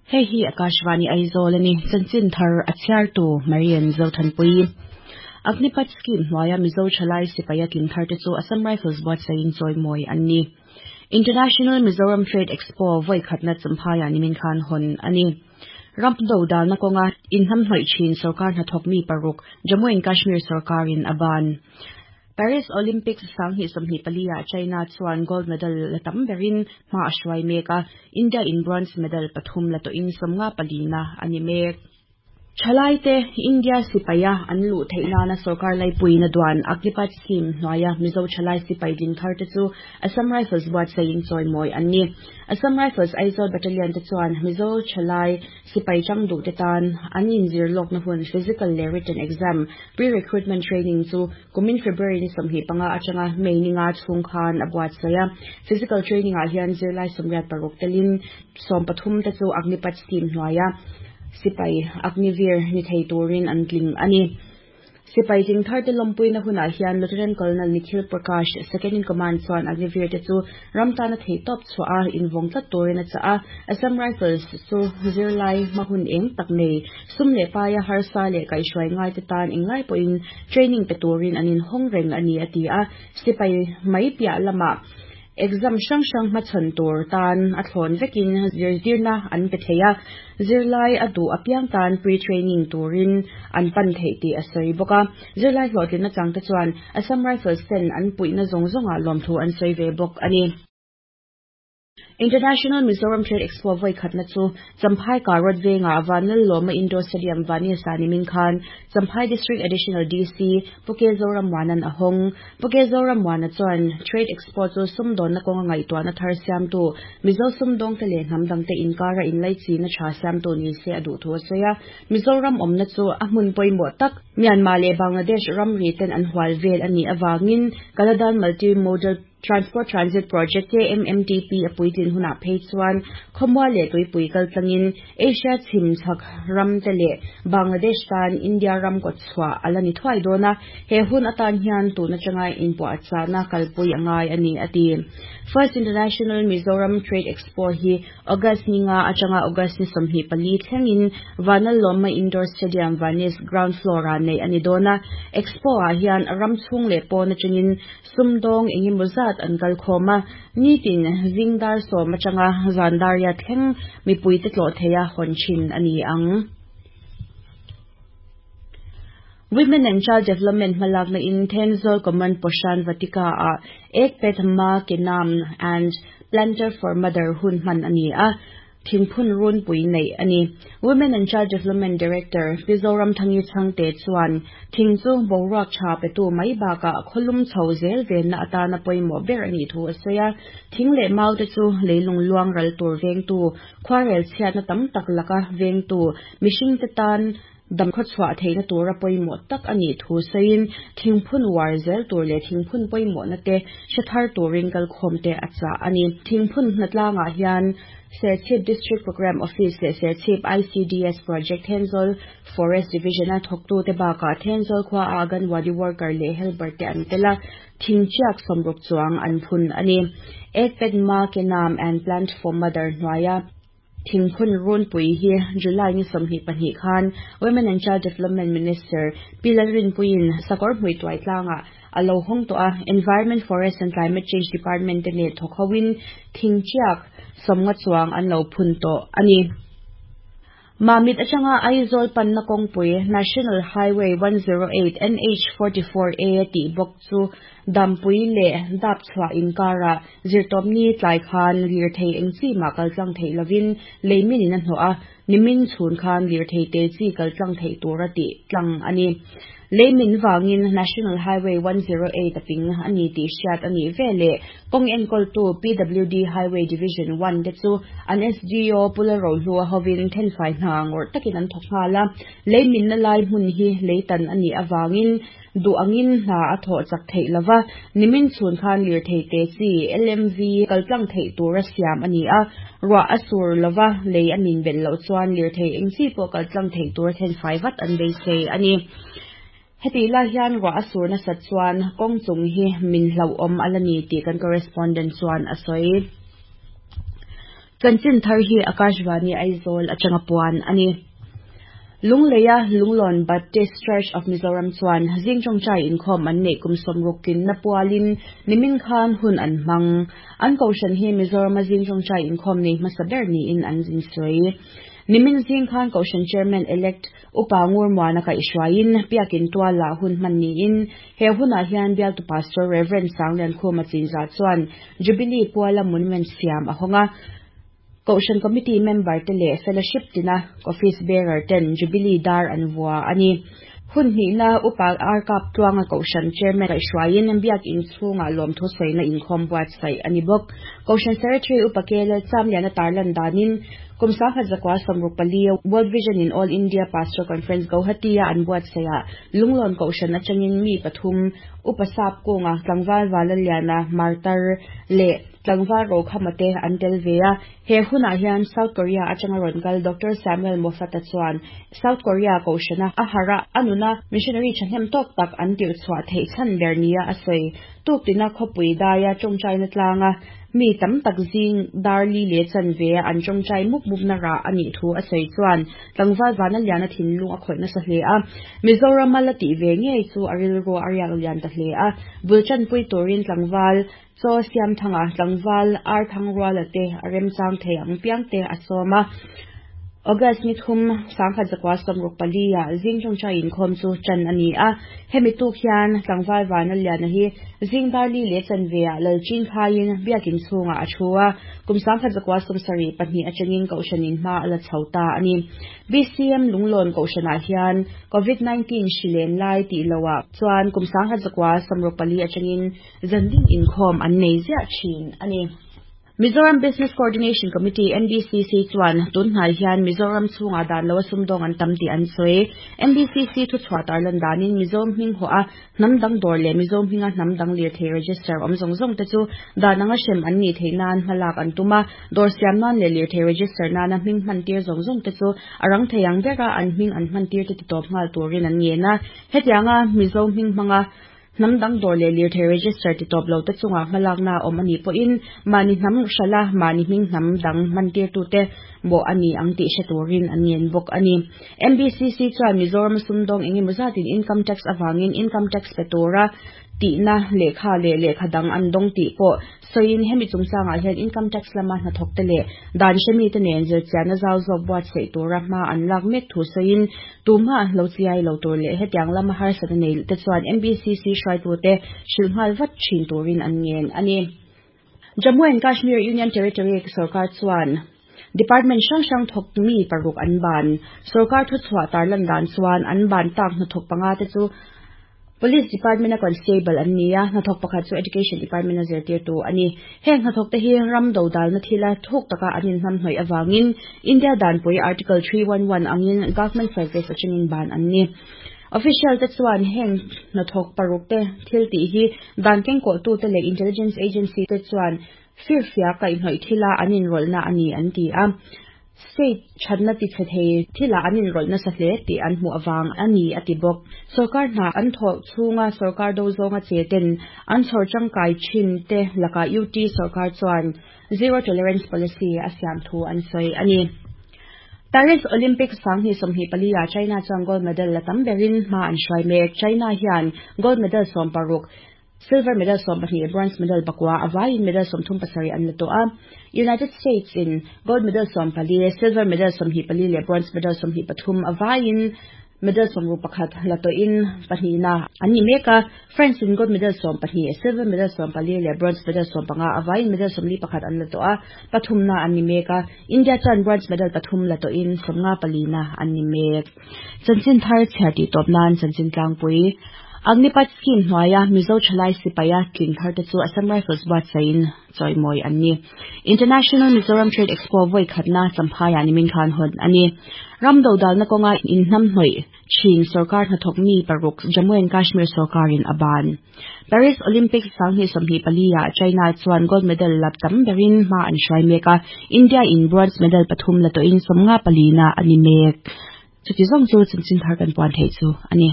Hei hi Akashvani Aizawl a ni. Chanchin thar a chhiartu Marian Zothanpui. Agnipath Scheme hnuaia Mizo thalai sipaia tling thar te chu Assam Rifles buatsaihin chawimawi an ni. International Mizoram Trade Expo vawi khatna Champhaiah nimin khan hawn a ni. Ram do dalna kawnga inhnamhnawih thin sorkar hnathawk mi paruk Jammu and Kashmir sorkarin a ban. Paris Olympics 2024 ah China chuan gold medal la tam berin hma a hruai mek a, India in bronze medal pathum la tawhin 54 na a ni mek. Thalaite India sipaia an luh theih nana sorkar laipuiin a duan Agnipath Scheme hnuaia Mizo thalai sipai ding thar te chu Assam Rifles buatsaihin chawimawi an ni. Assam Rifles Aizawl Battalion te chuan Mizo thalai Sipai chang duhte tan an inzir lawkna hun physical leh written exam, pre-recruitment training chu kumin February ni 25 atanga May ni nga chhung khan a buatsaih a. Physical training ah hian zirlai 86 telin 13 te chu Agnipath scheme hnuaia sipai Agniveer ni thei turin an tling a ni. Sipai tling tharte lawmpuina hunah hian Lieutenant Colonel Nikhil Prakash, Second in Command chuan Agniveer te chu ram tana theihtawp chhuah a invawng tlat turin a chah a. Assam Rifles chu zirlai hma hun eng tak nei, sum leh paia harsa leh kaihhruai ngaite tan englai pawhin training pe turin an inhawng reng a ni a ti a. Sipai mai piah lamah Exam hrang hrang hmachhawn tur tan a thlawn vekin zirtirna an pe thei a, zirlai a duh apiang tan pre-training turin an pan theih tih a sawi bawk a. Zirlai hlawhtlinna changte chuan Assam Rifles ten an puihna zawng zawngah lawmthu an sawi ve bawk a ni. International Mizoram Trade Expo vawi khatna chu Champhai Karwat vengah Vanlallawma Indoor Stadium Vanisa nimin khan Champhai District Additional DC Pu Ke Zorammuana'n a hawng. Pu Ke Zorammuana chuan Trade Expo chu sumdawnna kawnga ngaihtuahna thar siamtu, Mizo sumdawngte leh hnam dangte inkara inlaichina tha siamtu ni se a duh thu a sawi a. Mizoram awmna chu a hmun pawimawh tak, Myanmar leh Bangladesh ramri ten an hual vel a nih avangin Kaladan Multi Modal Transport Transit Project, KMMTP, a puitlin hunah phei chuan khawmual leh tuipui kal tlangin Asia chhim chhak ramte leh Bangladesh tan India ram kawt chhuah a la ni thuai dawn a, he hun atan hian tun atanga inpuahchahna kalpui a ngai a ni, a ti. First International Mizoram Trade Expo hi August ni nga atanga August ni 24 thlengin Vanlalawma Indoor Stadium Vanis ground floor-ah neih a ni dawn a, Expo-ah hian ram chhung leh pawn atangin Sumdawng engemaw zat an kal khawm a, nitin zing dar sawm atanga zan dar riat thleng mipuite tlawh theia hawn thin a ni ang. Women and Child Development hmalakna in Thenzawl Common Poshan Vatika ah Ek Ped Ma Ke Naam and Planter for Mother hun hman a ni a. Thingphun runpui neih a ni. Women and Child Development Director Pi Zoramthangi Chhangte chuan thing chu boruak tha petu mai bakah khawlum chho zel venna atana pawimawh ber a nih thu a sawi a. Thing leh mau te chu leilung luang ral tur vengtu, khuarel chhiatna tam tak laka vengtu, mihringte tan dam khawchhuah theihna tura pawimawh tak a nih thu sawiin thingphun uar zel tur leh thingphun pawimawhna te hre thar turin kalkhawmte a chah a ni. Thingphun hnatlangah hian Serchhip District Programme Office leh Serchhip ICDS Project Thenzawl Forest Division-a thawktute bakah Thenzawl khua a Anganwadi Worker leh Helper te an tel a, thingchiak 60 chuang an phun a ni. Ek Ped Ma Ke Naam and Plant for Mother hnuaia Thingphun runpui hi July ni 22 khan Women and Child Development Minister Pi Lalrinpuiin sakawr hmui tuai tlangah a lo hawng tawh a, Environment, Forest and Climate Change Department te nen thawk hoin thingchiak 50 chuang an lo phun tawh a ni. Mamit atanga Aizawl panna kawngpui National Highway 108 NH 44A tih bawk chu Dampui leh Dapchhuah inkarah Zirtawpni tlai khan lirthei eng chi mah kal tlang theih lovin leimin in a hnawh a, nimin chhun khan lirthei te chi kal tlang theih tura tih tlang a ni. Leimin vangin National Highway 108 a ping a ni tih hriat a nih veleh kawng enkawltu PWD Highway Division One te chu an SDO Pu Lalrohlua hovin thenfai hna ngawrh takin an thawk nghal a, leiminna lai hmun hi leitan a nih avangin Duh angin hna a thawh chak theih lo va, nimin chhun khan lirthei te chi, LMV, kal tlang theih tura siam a ni a, ruah a sur lo va, lei a min belh loh chuan lirthei eng chi pawh kal tlang theih tura thenfai vat an beisei a ni. Hetih lai hian ruah a sur nasat chuan kawng chung hi min hlauhawm a la ni tih kan correspondent chuan a sawi. Chanchin thar hi Akashvani Aizawl atanga puan a ni. Lungleia Lunglawn Baptist Church of Mizoram chuan zing tawngtai inkhawm an neih kum 60 kinna pualin nimin khan hun an hmang. An kohhran hi Mizorama zing tawngtai inkhawm nei hmasa ber niin an insawi. Nimin zing khan kohhran Chairman Elect Upa Ngurmuana kaihhruaiin Biakin tualah hun hman niin he hunah hian bialtu Pastor Rev. Sangliankhuma Chinzah chuan Jubilee puala monument siam a hawng a. Kohhran Committee member te leh Fellowship tina Office Bearer ten Jubilee dar an vua a ni. Hun hnihna Upa Arkap Tluanga Kohhran Chairman kaihhruaiin Biakin chhungah lawmthu sawina inkhawm buatsaih a ni bawk. Kohhran Secretary Upa KL Chamliana tarlan danin kum 1964 World Vision in All India Pastor Conference Guwahati-a an buatsaihah Lunglawn Kohhran atangin mi pathum Upa Sap Kunga Tlangval Valaliana Martar leh Tlangval Rokhama te an tel ve a. He hunah hian South Korea atanga rawn kal Doctor Samuel Moffat-a chuan South Korea kohhrana a harh a, a nuna missionary thahnem tawk tak an tirh chhuah theih chhan ber nia a sawi. Tuktina khawpui daia tawngtaina tlanga mi tam tak zing dar li leh chanve a an tawngtai mup mupna rah a nih thu a sawi chuan tlangval vana liana thinlung a khawih nasa hle a. Mizorama la tih ve ngei chu a rilru a riak lian ta hle a, bul tanpui turin tlangval Chaw siam thanga tlangval ar thang ruala te a remchang thei ang piang te a sawm a. August ni thum 1964 ah zing tawngtai inkhawm chu tan a ni a. Hemi tuk hian tlangval vana liana hi zing dar li leh chanve ah Lalchin khaiin biakin chhungah a thu a. Kum 1972 atangin kohhranin hma a la chho ta a ni. BCM Lunglawn kohhranah hian Covid 19 hri len lai tih loah chuan kum 1964 atangin Zandin inkhawm an nei ziah thin a ni. Mizoram Business Coordination Committee, MBCC, chuan tun hnai hian Mizoram chhungah dan loa sumdawng an tam tih an sawi. MBCC thuchhuah tarlan danin Mizo hming hawh a hnam dang dawr leh Mizo hminga hnam dang lirthei register awm zawng zawng te chu dan anga hrem an nih theih nan hmalak an tum a, dawr siam nan leh lirthei register nana hming hman tir zawng zawng te chu a rang thei ang bera an hming an hman tir te titawp nghal turin an ngen a. Hetianga Mizo hming hmanga Hnam dang dawr leh lirthei register ti tawp lo te chungah hmalakna a awm a nih pawhin mahni hnam hrala mahni hming hnam dang hmantirtute mawh a ni ang tih hre turin an ngen bawk a ni. MBCC chuan Mizoram sumdawng engemaw zatin income tax avangin income tax pe tura tihna lehkha leh lehkha dang an dawng tih pawh Sawiin hemi chungchangah hian income tax lama hnathawkte leh dan hremite nen zirchianna zau zawk buatsaih tura hma an lak mek thu sawiin tumah lo chiai lo tur leh hetiang lama harsatna nei te chuan MBCC hruaitute hrilh nghal vat thin turin an ngen a ni. Jammu and Kashmir Union Territory sorkar chuan Department hrang hrang thawk mi paruk an ban. Sorkar thuchhuah tarlan dan chuan an ban tak hnathawk panga te chu Police Department a Constable an ni a, hnathawk pakhat chu Education Department a zirtirtu a ni. Heng hnathawk te hi ram dodalna thila thuk taka an inhnamhnawih avangin India danpui Article 311 angin Government Service atangin ban an ni. Official te chuan heng hnathawk paruk te thil tih hi dan kengkawhtute leh Intelligence Agency te chuan firfiak kaihhnawih thila an inrawlhna a ni an ti a. State thatna tichhe thei thilah an inrawlh nasa hle tih an hmuh avang a ni a ti bawk. Sorkar hna an thawh chhunga sorkar do zawnga che ten an chhawr tangkai thin te lakah UT sorkar chuan Zero Tolerance Policy a siam thu an sawi a ni. Paris Olympics 2024 ah China chuan gold medal la tam berin hma an hruai mek. China hian gold medal 16, Silver medal 12, bronze medal pakua, a vaiin medal 37 an la tawh a. United States in gold medal 14, silver medal 24 leh bronze medal 23, a vaiin medal 61 la tawhin pahnihna an ni mek a. France in gold medal 12, silver medal 14 leh bronze medal 15, a vaiin medal 41 an la tawh a, pathumna an ni mek a. India chuan bronze medal pathum la tawhin 54 na an ni mek. Chanchin thar chhiar tih tawp nan chanchin tlangpui Agnipath scheme hnuaia Mizo thalai sipaia tling thar te chu Assam Rifles buatsaihin chawimawi an ni. International Mizoram Trade Expo vawi khatna Champhaiah nimin khan hawn a ni. Ram dodalna kawnga inhnamhnawih thin sorkar hnathawk mi paruk Jammu and Kashmir sorkarin a ban. Paris Olympics 2024 ah China chuan gold medal la tam berin hma an hruai mek a, India in bronze medal pathum la tawhin 54 na a ni mek. Chuti zawng chu chanchin thar kan puan theih chu a ni.